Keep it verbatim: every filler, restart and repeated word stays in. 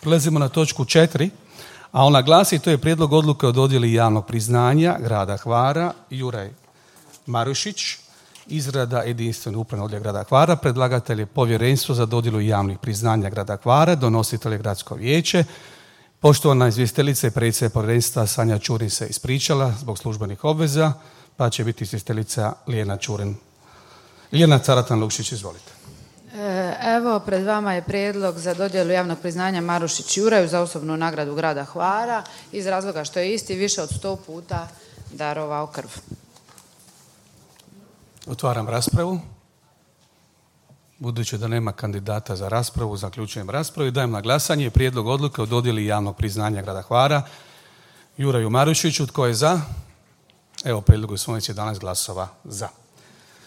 Prelazimo na točku četiri, a ona glasi, to je prijedlog odluke o dodjeli javnog priznanja grada Hvara. Juraj Marušić, izrada jedinstveni upravni odjel grada Hvara. Predlagatelj je Povjerenstvo za dodjelu javnih priznanja grada Hvara, donositelj je Gradsko vijeće. Poštovana izvjestiteljica i predsjednica povjerenstva Sanja Čurin se ispričala zbog službenih obveza, pa će biti izvjestiteljica Lijena Čurin. Lijena Caratan-Lukšić, izvolite. Evo, pred vama je prijedlog za dodjelu javnog priznanja Marušić Juraju za osobnu nagradu grada Hvara iz razloga što je isti više od sto puta darovao krv. Otvaram raspravu. Budući da nema kandidata za raspravu, zaključujem raspravu i dajem na glasanje prijedlog odluke o dodjeli javnog priznanja grada Hvara Juraju Marušiću. Tko je za? Evo, prijedlog usvojen, jedanaest glasova za.